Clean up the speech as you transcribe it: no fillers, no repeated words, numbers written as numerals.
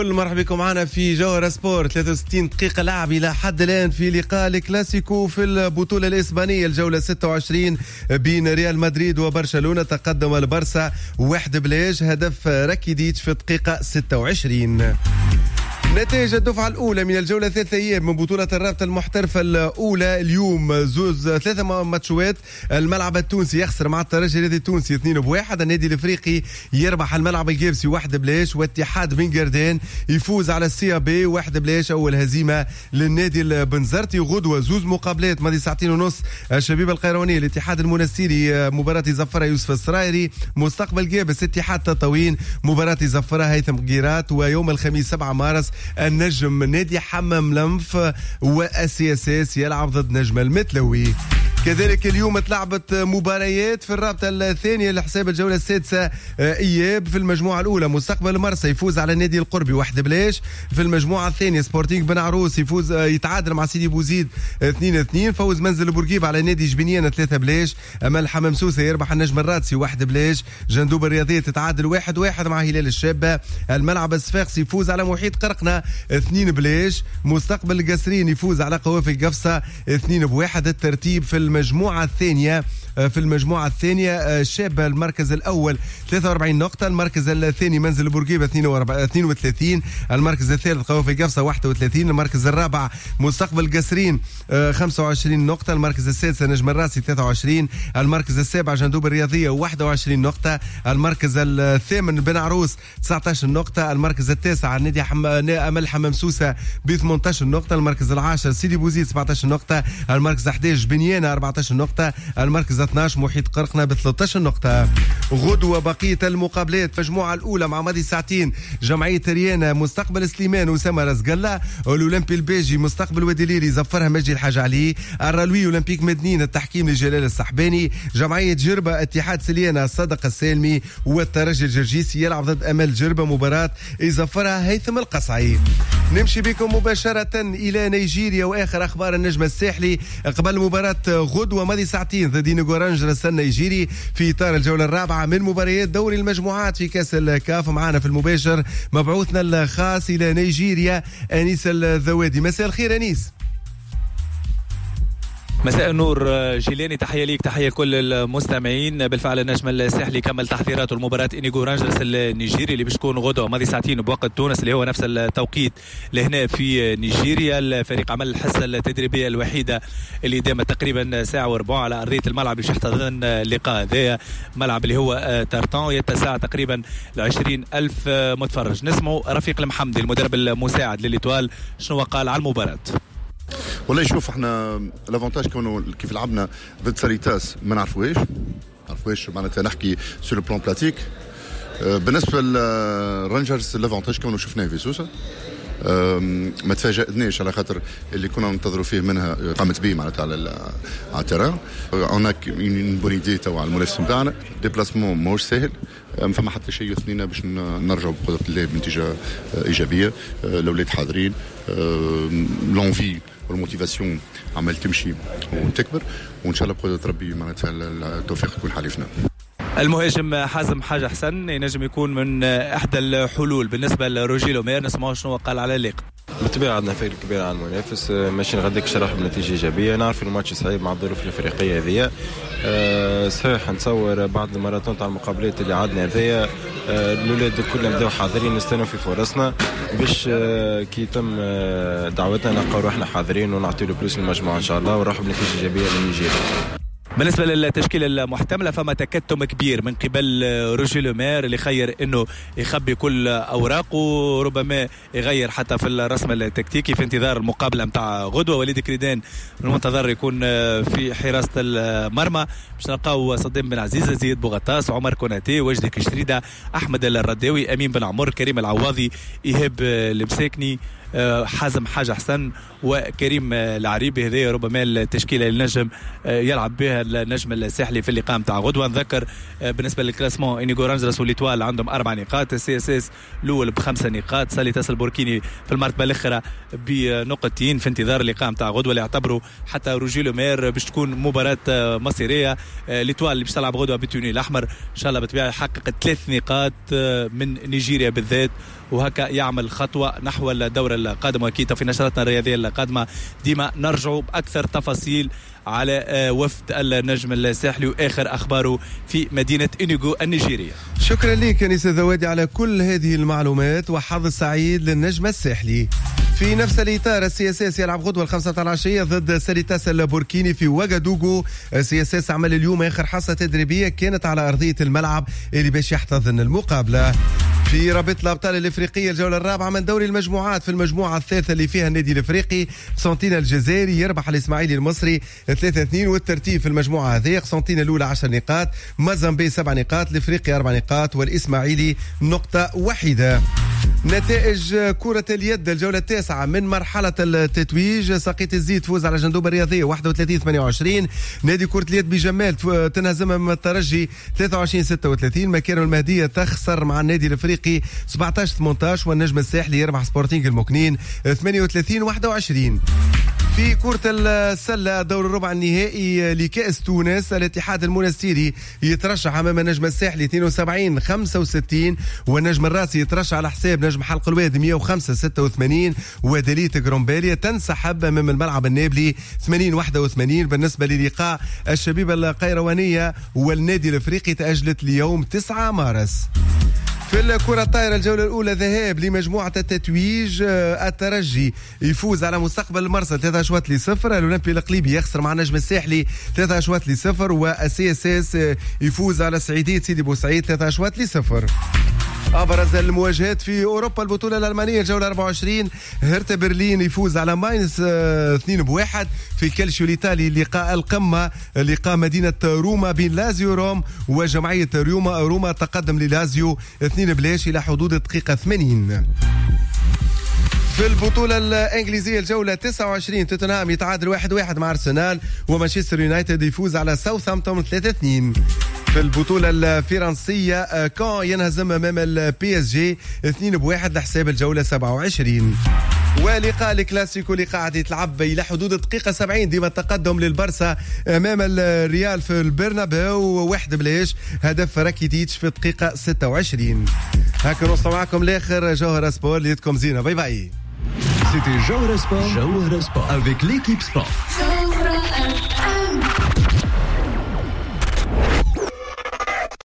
مرحبا بكم معنا في جوهرة سبور. 63 دقيقة لعب إلى حد الآن في لقاء الكلاسيكو في البطولة الإسبانية، الجولة 26 بين ريال مدريد وبرشلونة. تقدم البرسا 1-0، هدف راكيديتش في الدقيقة 26. نتائج الدفعة الأولى من الجولة الثالثة أيام من بطولة الرابطة المحترفة الأولى. اليوم زوز ثلاثة ماتشوات. الملعب التونسي يخسر مع الترجي الرياضي التونسي 2-1. النادي الإفريقي يربح الملعب القابسي 1-0، واتحاد بن قردان يفوز على ال CAB 1-0، أول هزيمة للنادي البنزرتي. غدوة زوز مقابلات ماضي 2:30 ساعة، الشبيبة القيروانية الاتحاد المنستيري مباراة زفرة يوسف السرايري، مستقبل قابس اتحاد تطاوين مباراة زفرة هيثم قيرات. ويوم الخميس 7 مارس النجم نادي حمام لنف وال CSS يلعب ضد نجم المتلوي. كذلك اليوم تلعبت مباريات في الرابطة الثانية لحساب الجولة السادسة إياب. في المجموعة الأولى مستقبل مرسى يفوز على النادي القربي 1-0. في المجموعة الثانية سبورتينغ بن عروس يفوز يتعادل مع سيدي بوزيد 2-2. فوز منزل بورقيبة على نادي جبنيانة 3-0. أمل حمام سوسة يربح النجم الرادسي 1-0. جندوب الرياضية تتعادل 1-1 مع هلال الشابة. الملعب الصفاقسي يفوز على محيط قرقنة 2-0. مستقبل القصرين يفوز على قوافل قفصة 2-1. الترتيب في المجموعة الثانية، في المجموعة الثانية الشابة المركز الأول 43 نقطة، المركز الثاني منزل بورقيبة 32، المركز الثالث قوافل قفصة 31، المركز الرابع مستقبل قصرين 25 نقطة، المركز السادس نجم الراسي 23، المركز السابع جندوب الرياضية 21 نقطة، المركز الثامن بن عروس 19 نقطة، المركز التاسع نادي أمل حمام سوسة ب 18 نقطة، المركز العاشر سيدي بوزيد 17 نقطة، المركز 11 بنيانة 14 نقطة، المركز 12 محيط قرقنة ب 13 نقطة. غدوة بقية المقابلات. المجموعة الأولى مع ماضي ساعتين جمعية ريانا مستقبل سليمان أسامة رزقلة، الأولمبي الباجي مستقبل وادي ليلي زفرها مجدي الحاج علي، الرلوي أولمبيك مدنين التحكيم لجلال السحباني، جمعية جربة اتحاد سليانة صدق السالمي، والترجي الجرجيسي يلعب ضد أمل جربة مباراة يزفرها هيثم القصعي. نمشي بكم مباشرة إلى نيجيريا وآخر أخبار النجم الساحلي قبل مباراة غدوة ماضي ساعتين ضد إينوغو رانجرز النيجيري في إطار الجولة الرابعة من مباريات دوري المجموعات في كأس الكاف. معنا في المباشر مبعوثنا الخاص إلى نيجيريا أنيس الذوادي. مساء الخير أنيس. مساء النور جيلاني، تحية ليك، تحية لكل المستمعين. بالفعل النجم الساحلي كمل تحضيراته لمباراة إنيغو رانجرز النيجيري اللي باش تكون غدوة ماضي ساعتين بوقت تونس اللي هو نفس التوقيت لهنا في نيجيريا. الفريق عمل الحصة التدريبية الوحيدة اللي دامت تقريبا 1:15 على أرضية الملعب باش يحتضن اللقاء هذايا، ملعب اللي هو تارتان يتسع تقريبا 20,000 متفرج. نسمعوا رفيق المحمدي المدرب المساعد ل l'Étoile شنو قال على المباراة. والله شوف احنا l'avantage كونه كيف لعبنا ضد ساريتاس ما نعرفوهاش معناتها نحكي sur le plan pratique. بالنسبة للرانجرز l'avantage كونه شفناه في سوسة ما تفاجأناش على خاطر اللي كنا ننتظروا فيه منها قامت به معناتها على ال terrain. on a une bonne idée توا على المنافس نتاعنا. déplacement ماهوش ساهل، ما فما حتى شيء يثنينا باش نرجعوا بقدره الله بنتيجة ايجابية. الاولاد حاضرين، l'envie وال motivation عمال تمشي وتكبر، وان شاء الله بقدره ربي معناتها التوفيق يكون حليفنا. المهاجم حازم حاجة حسن ينجم يكون من احدى الحلول بالنسبة لروجي لومير، نسمعوا شنو قال على اللقاء. بالطبيعة عندنا فريق كبير على المنافس، ماشيين غاديك شرح بنتيجة ايجابية. نعرف الماتش صعيب مع الظروف الافريقية هذيا، صحيح نتصور بعد الماراثون تاع المقابلات اللي عندنا هذيا الاولاد الكل بداو حاضرين، نستناو في فرصنا باش كي تم دعوتنا نلقاو روحنا حاضرين ونعطيو le plus للمجموعة ان شاء الله ونروحوا بنتيجة ايجابية لنيجيريا. بالنسبة للتشكيلة المحتملة فما تكتم كبير من قبل روجي لومير اللي خير انه يخبي كل اوراقه، ربما يغير حتى في الرسم التكتيكي في انتظار المقابلة متاع غدوة. وليد كريدان المنتظر يكون في حراسة المرمى، باش نلقاو صدام بن عزيز، زياد بوغطاس، عمر كوناتي، وجدي كشريدة، أحمد الرداوي، أمين بن عمر، كريم العواضي، إيهاب المساكني، حازم حاجة حسن، وكريم العريبي. هذه ربما التشكيلة اللي نجم يلعب بها النجم الساحلي في اللقاء نتاع غدوة. نذكر بالنسبة لل classement إنيغو رانجرز و l'Étoile عندهم 4 نقاط، ال CSS الأول ب5 نقاط، ساليتاس البوركيني في المرتبة الأخرى بنقطتين في انتظار اللقاء نتاع غدوة اللي يعتبروا حتى روجي لومير باش تكون مباراة مصيرية. l'Étoile اللي باش تلعب غدوة بال tenue الأحمر إن شاء الله بالطبيعة يحقق 3 نقاط من نيجيريا بالذات وهكا يعمل خطوة نحو الدور القادم. واكيد في نشرتنا الرياضية القادمة ديما نرجع باكثر تفاصيل على وفد النجم الساحلي واخر اخباره في مدينة إنيغو النيجيريه. شكرا لك انيس الذوادي على كل هذه المعلومات، وحظ سعيد للنجم الساحلي. في نفس الاطار ال CSS يلعب غدوه 5:00 ضد ساليتاس البوركيني في واغادوغو. ال CSS عمل اليوم اخر حصة تدريبية كانت على ارضية الملعب اللي باش يحتضن المقابلة. في رابطه الابطال الافريقية الجولة الرابعة من دوري المجموعات، في المجموعة الثالثة اللي فيها النادي الافريقي قسنطينة الجزائري يربح الاسماعيلي المصري 3-2، والترتيب في المجموعة هذه قسنطينة الاولى 10 نقاط، مازامبي 7 نقاط، الافريقي 4 نقاط، والاسماعيلي نقطة واحدة. نتائج كرة اليد الجولة التاسعة من مرحلة التتويج، ساقية الزيت تفوز على جندوب الرياضية 31-28، نادي كرة اليد بجمال تنهزم من الترجي 23-36، مكارم المهدية تخسر مع النادي الافريقي 17-18، والنجم الساحلي يربح سبورتينغ المكنين 38-21. في كرة السلة دور الربع النهائي لكأس تونس، الاتحاد المونستيري يترشح أمام النجم الساحلي 72-65، والنجم الراسي يترشح على حساب نجم حلق الواد 105-86، ودليت جرومباليا تنسحب أمام الملعب النابلي 80-81. بالنسبة للقاء الشبيبة القيروانية والنادي الافريقي تأجلت ليوم 9 مارس. في الكرة الطائرة الجولة الأولى ذهاب لمجموعة التتويج، الترجي يفوز على مستقبل المرسى 3-0، الأولمبي القليبي يخسر مع النجم الساحلي 3-0، وال CSS يفوز على سعيدية سيدي بوسعيد 3-0. أبرز المواجهات في أوروبا، البطولة الألمانية الجولة 24، هرتا برلين يفوز على ماينز 2-1. في الكالشيو الإيطالي لقاء القمة، لقاء مدينة روما بين لازيو روم وجمعية روما، تقدم للازيو 2-0 إلى حدود الدقيقة 80. في البطولة الإنجليزية الجولة 29، توتنهام يتعادل 1-1 مع أرسنال، ومانشستر يونايتد يفوز على ساوثهامبتون 3-2. في البطولة الفرنسية كان ينهزم أمام ال PSG 2-1 لحساب الجولة 27. ولقاء الكلاسيكو اللي قاعد يتلعب إلى حدود الدقيقة 70، ديما التقدم للبرسا أمام الريال في البرنابيو 1-0، هدف راكيتيتش في الدقيقة 26. هكا نوصل معكم لآخر جوهرة سبور، ليتكم زينة، bye bye. C'était Jawhara Sport, Jawhara Sport avec l'équipe Sport.